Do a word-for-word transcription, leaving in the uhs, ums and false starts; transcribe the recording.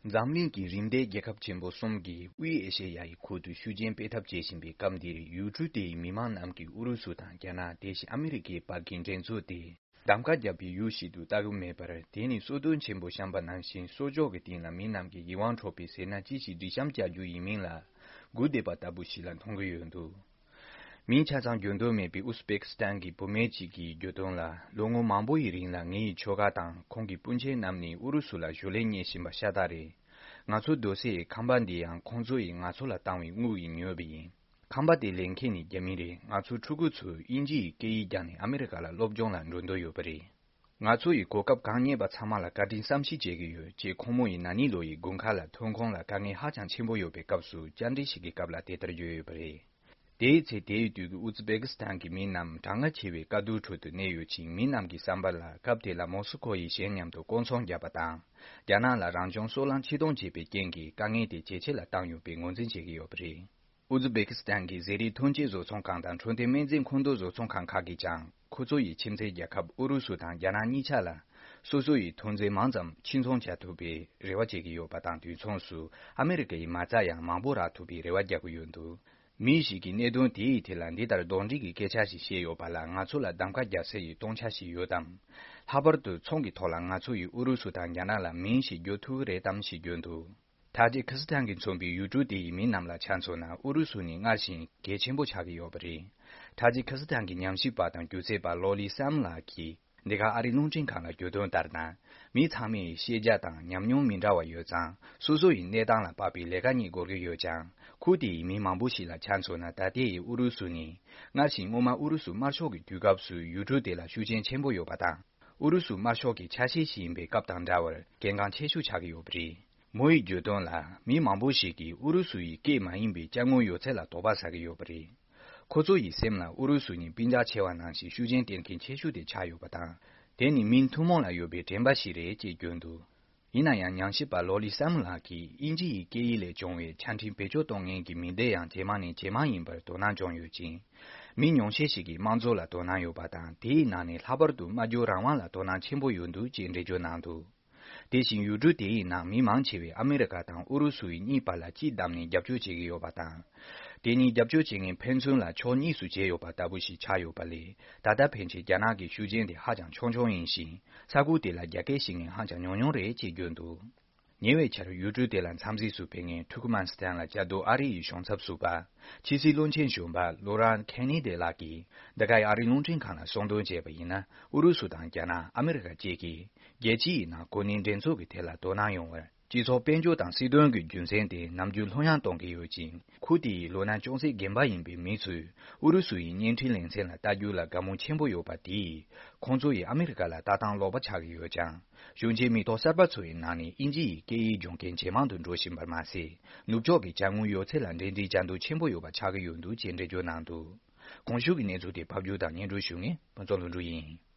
འཛམ་གླིང་གི་རིམ་འདས་རྒྱལ་ཁབ་ཆེན་པོ་གསུམ་གྱིས་དབུས་ཨེ་ཤེ་ཡ་ཡི་ཁུལ་དུ་ཤུགས་རྐྱེན་སྤེལ་ཐབས་བྱེད་བཞིན་པའི་སྐབས་འདིར། ཡུལ་གྲུ་དེའི་མི་མང་རྣམས་ཀྱིས་ཨུ་རུ་སུ་དང་རྒྱ་ནག་དེ་བཞིན་ཨ་མི་རི་ཀའི་བར་གྱི་འགྲན་རྩོད་དེ་གདམ་ཀ་བརྒྱབ་པའི་ཡུལ་ཞིག་ཏུ་ལྟ་གི་མེད་པར། དེ་ནི་སོ་ལྟོ་ཆེན་པོ་བཤམས་པ་ནང་བཞིན་སོར་འཇོག་གི་སྟེང་ལ་མི་རྣམས་ཀྱི་ཡིད་དབང་འཕྲོག་པའི་ཟེར་ན་ཅི་ཞིག་སྒྲིག་བཤམས་བྱ་རྒྱུ་ཡིན་མིན་ལ་སྒུག་བསྡད་པ་ལྟ་བུ་ཞིག་ལ་མཐོང་གི་ཡོད་འདུག། མིང་ཆ་ཚང་བརྗོད་འདོད་མེད་པའི་ཨུ་ཛི་བེ་ཀི་སི་ཐན་གྱི་བུད་མེད་ཅིག་གིས་བརྗོད་དོན་ལ། ལོ་ངོ་མང་པོ་ཡི་རིང་ལ་ངའི་ཁྱོ་ག་དང་ཁོང་གི་སྤུན་མཆེད་རྣམས་ནི་ཨུ་རུ་སུ་ལ་ཞུ་ལན་རྙེད་བཞིན་པ་ཤ་སྟག་རེད། ང་ཚོ་སྡོད་སའི་ཁང་པ་འདི་ཡང་ཁོང་ཚོ་ཡིས་ང་ཚོ་ལ་བཏང་བའི་དངུལ་གྱིས་ཉོས་པ་ཡིན། ཁང་པ་དེ་ལེན་མཁན་ནི་རྒྱ་མི་རེད། ང་ཚོ་ཕྲུ་གུ་ཚོས་དབྱིན་ཇི་ཡི་སྐད་ཡིག་སྦྱངས་ནས་ཨ་མི་རི་ཀ་ལ་སློབ་སྦྱོང་ལ་འགྲོ་འདོད་ཡོད་པ་རེད། ང་ཚོ་ཡིས་གོ་སྐབས་གང་རྙེད་པ་ཚང་མ་ལ་བཀའ་དྲིན་བསམ་ཤེས་བྱེད་ཀྱི་ཡོད་ཅེས་ཁོང་མོ་ཡིས་ན་ནིང་ལོ་ཡི་དགུན་ཁ་ལ་ཐོན་ཁུངས་ལ་དཀའ་ངལ་ཧ་ཅང་ཆེན་པོ་ཡོད་པའི་སྐབས་སུ་བཅར་འདྲི་ཞིག་གི་སྐབས་ལ་དེ་ལྟར་བརྗོད་ཡོད་པ་རེད། དེའི་ཚེ་དེའི་དུས་ཀྱི་ཨུ་ཛི་བེ་ཀི་སི་ཐན་གྱི་མི་རྣམས་གྲང་ངར་ཆེ་བའི་དཀའ་སྡུག་ཁྲོད་དུ་གནས་ཡོད་ཅིང་། མི་རྣམས་ཀྱི་བསམ་པ་ལ་སྐབས་དེ་ལ་མོ་སི་ཁོ་ཡིས་གཞན་མཉམ་དུ་སྐོང་ཚོང་བརྒྱབ་པ་དང་། རྒྱ་ནག་ལ་རང་བྱུང་སོལ་རླངས་ཕྱིར་གཏོང་བྱས་པའི་རྐྱེན་གྱིས་དཀའ་ངལ་དེ་ཇེ་ཆེ་ལ་བཏང་ཡོད་པའི་ངོས་འཛིན་བྱེད་ཀྱི་ཡོད་པ་རེད། ཨུ་ཛི་བེ་ཀི་སི་ཐན་གྱི་ཟས་རིགས་ཐོན་སྐྱེད་བཟོ་ཚོང་ཁང་དང་འཕྲོད་བསྟེན་སྨན་རྫས་མཁོ་འདོན་བཟོ་ཚོང་ཁང་ཁག་གིས་ཀྱང་ཁོ་ཚོ་ཡི་ཁྱིམ་མཚེས་རྒྱལ་ཁབ་ཨུ་རུ་སུ་དང་རྒྱ་ནག་གཉིས་ཆ་ལ་སོ་སོ་ཡི་ཐོན་རྫས་མང་ཙམ་ཕྱིར་ཚོང་བྱ་ཐུབ་པའི་རེ་བ་བྱེད་ཀྱི་ཡོད་པ་དང་། དུས་མཚུངས་སུ་ཨ་མི་རི་ཀ་ཡི་མ་རྩ་ཡང་མང་པོ་རག་ཐུབ་པའི་རེ་བ་རྒྱག་གི་ཡོད་འདུག། མི་ཞིག་གིས་གནད་དོན་དེའི་ཐད་ལ་འདི་ལྟར་དོགས་འདྲི་གི་སྐད་ཆ་ཞིག་བཤད་ཡོད་པ་ལ། ང་ཚོ་ལ་གདམ་ཀ་རྒྱག་སའི་སྟོང་ཆ་ཞིག་ཡོད་དམ། ལྷག་པར་དུ་ཚོང་གི་ཐོག་ལ་ང་ཚོ་ཡིས་ཨུ་རུ་སུ་དང་རྒྱ་ནག་ལ་མིང་ཞིག་བརྗོད་ཐུབ་ཀྱི་རེད་དམ་ཞེས་བརྗོད་འདུག། ཐ་ཇི་ཁི་སི་ཐན་གྱིས་མཚོན་པའི་ཡུལ་གྲུ་དེ་ཡི་མི་རྣམས་ལ་ཆ་མཚོན་ན། ཨུ་རུ་སུ་ནི་སྔར་བཞིན་གལ་ཆེན་པོ་ཆགས་ཀྱི་ཡོད་པ་རེད། ཐ་ཇི་ཁི་སི་ཐན་གྱི་ཉམས་ཞིབ་པ་དང་སྒྱུ་རྩལ་པ་ལོ་ལི་སམ་ལགས་ཀྱིས་འདི་ག་ཨ་རིའི་རླུང་འཕྲིན་ཁང་ལ་བརྗོད་དོན་ལྟར་ན། མི་ཚང་མས་ཤེས་རྒྱ་དང་ཉམས་མྱོང་མི་འདྲ་བ་ཡོད་ཙང་། སོ་སོ་ཡི་གནས་སྟངས་ལ་དཔག་པའི་ལས་ཀ་རྙེད་དགོས་ཀྱི་ཡོད་ཀྱང་། ཁུལ་དེ་ཡི་མི་མང་པོ་ཞིག་ལ་ཆ་མཚོན་ན། ད་ལྟའི་ཨུ་རུ་སུ་ནི་སྔར་བཞིན་སྔོན་མ་ཨུ་རུ་སུ་དམར་ཤོག་གི་དུས་སྐབས་སུ་ཡུལ་གྲུ་དེ་ལ་ཤུགས་རྐྱེན་ཆེན་པོ་ཡོད་པ་དང་། ཨུ་རུ་སུ་དམར་ཤོག་གི་ཆ་ཤས་ཤིག་ཡིན་པའི་སྐབས་དང་འདྲ་བར་གལ་འགངས་ཆེ་ཤོས་ཆགས་ཀྱི་ཡོད་པ་རེད། མོ་ཡིས་བརྗོད་དོན་ལ། མི་མང་པོ་ཞིག་གིས་ཨུ་རུ་སུ་ཡི་སྐད་མ་ཡིན་པའི་དཔྱ་དངུལ་ཡོད་ཚད་ལ་དོགས་པ་ཟ་གི་ཡོད་པ་རེད། ཁོ་ཚོ་ཡི་སེམས་ལ་ཨུ་རུ་སུ་ནི་སྤུན་ཀྱག་ཆེ་བ་ནང་བཞིན་ཤུགས་རྐྱེན་སྤེལ་མཁན་ཆེ་ཤོས་དེ་ཆགས་ཡོད་པ་དང་། དེ་ནི་མིང་ཐུན་མོང་ལ་ཡོད་པའི་དྲན་པ་ཞིག་རེད་ཅེས་བརྗོད་འདུག། ཡིན་ན་ཡང་། ཉམས་ཞིབ་པ་ལོ་ལི་སམ་ལགས་ཀྱིས་དབྱིན་ཇི་ཡི་སྐད་ཡིག་ལས་བྱུང་བའི་ཆ་འཕྲིན་བེད་སྤྱོད་གཏོང་མཁན་གྱི་མི་སྡེ་ཡང་ཇེ་མང་ནས་ཇེ་མང་ཡིན་པར་དོ་སྣང་བྱུང་ཡོད་ཅིང་། མི་ཉུང་ཤས་ཤིག་གིས་དམངས་གཙོ་ལ་དོ་སྣང་ཡོད་པ་དང་། དེའི་ནང་ནས་ལྷག་པར་དུ་སྨྲ་བརྗོད་རང་དབང་ལ་དོ་སྣང་ཆེན་པོ་ཡོད་འདུག་ཅེས་འགྲེལ་བརྗོད་གནང་འདུག། དེ་བཞིན་ཡུལ་གྲུ་དེའི་ནང་མི་མང་ཆེ་བས་ཨ་མི་རི་ཀ་དང་ཨུ་རུ་སུ་ཡི་གཉིས་བར་ལ་སྤྱི་བསྡོམས་ནས་རྒྱབ་སྐྱོར་བྱེད་ཀྱི་ཡོད་པ་དང་། དེ་ནི་རྒྱབ་སྐྱོར་བྱེད་མཁན་ཕན་ཚུན་ལ་ཕྱོགས་གཉིས་སུ་གྱེས་ཡོད་པ་ལྟ་བུ་ཞིག་ཆགས་ཡོད་པ་ལས། ད་ལྟ་ཕན་ཆད་རྒྱ་ནག་གི་ཤུགས་རྐྱེན་དེ་ཧ་ཅང་ཆུང་ཆུང་ཡིན་ཞིང་། ས་ཁུལ་དེ་ལ་རྒྱ་སྐད་ཤེས་མཁན་ཧ་ཅང་ཉུང་ཉུང་རེད་ཅེས་བརྗོད་འདུག། ཉེ་བའི་ཆར་ཡུལ་གྲུ་དེ་ལ་འཚམས་གཟིགས་སུ་ཕེབས་མཁན་ཐུར་ཀུ་མན་སི་ཐན་ལ་བཅའ་སྡོད་ཨ་རི་ཡི་གཞུང་ཚབ་ཟུར་པ། ཕྱི་སྲིད་བློན་ཆེན་གཞོན་པ་ལོ་རན་ཁེ་ནེ་ཏེ་ལགས་ཀྱིས་འདི་གའི་ཨ་རིའི་རླུང་འཕྲིན་ཁང་ལ་གསུངས་དོན་བྱས་པ་ཡིན་ན། ཨུ་རུ་སུ་དང་རྒྱ་ནག། ཨ་མི་རི་ཀ་བཅས་ཀྱིས་རྒྱལ་སྤྱི་ཡི་ནང་གོ་གནས་འགྲན་ཚོགས་ཀྱི་ཐད་ལ་དོ་སྣང་ཡོང་བར། སྤྱི་ཚོགས་དཔལ་འབྱོར་དང་སྲིད་དོན་གྱི་རྒྱུ་མཚན་དེ་ནམ་རྒྱུན་ལྷོད་ཡངས་གཏོང་གི་ཡོད་ཅིང་། ཁུལ་དེ་ཡི་ལོ་ན་ཅུང་ཟད་རྒན་པ་ཡིན་པའི་མི་ཚོས་ཨུ་རུ་སུ་ཡི་བརྙན་འཕྲིན་ལེ་ཚན་ལ་ལྟ་རྒྱུ་ལ་དགའ་མོས་ཆེན་པོ་ཡོད་པ་དེས། ཁོང་ཚོ་ཡིས་ཨ་མི་རི་ཀ་ལ་ལྟ་སྟངས་ལོག་པ་ཆགས་ཀྱི་ཡོད་ཀྱང་། གཞོན་སྐྱེས་མི་ཐོག་གསར་པ་ཚོ་ཡི་ནང་ནས་དབྱིན་ཇི་ཡི་སྐད་ཡིག་སྦྱོང་མཁན་ཇེ་མང་དུ་འགྲོ་བཞིན་པར་མ་ཟད། ནུབ་ཕྱོགས་ཀྱི་དཔྱ་དངུལ་ཡོད་ཚད་ལ་འབྲེལ་འདྲིས་བྱ་འདོད་ཆེན་པོ་ཡོད་པ་ཆགས་ཀྱི་ཡོད་འདུག་ཅེས་འགྲེལ་བརྗོད་གནང་འདུག། གོང་ཞུས་ཀྱི་གནས་ཚུལ་དེ་ཕབ་སྒྱུར་དང་སྙན་སྒྲོན་ཞུ་མཁན་ཕུན་ཚོགས་ལྷུན་གྲུབ་ཡིན།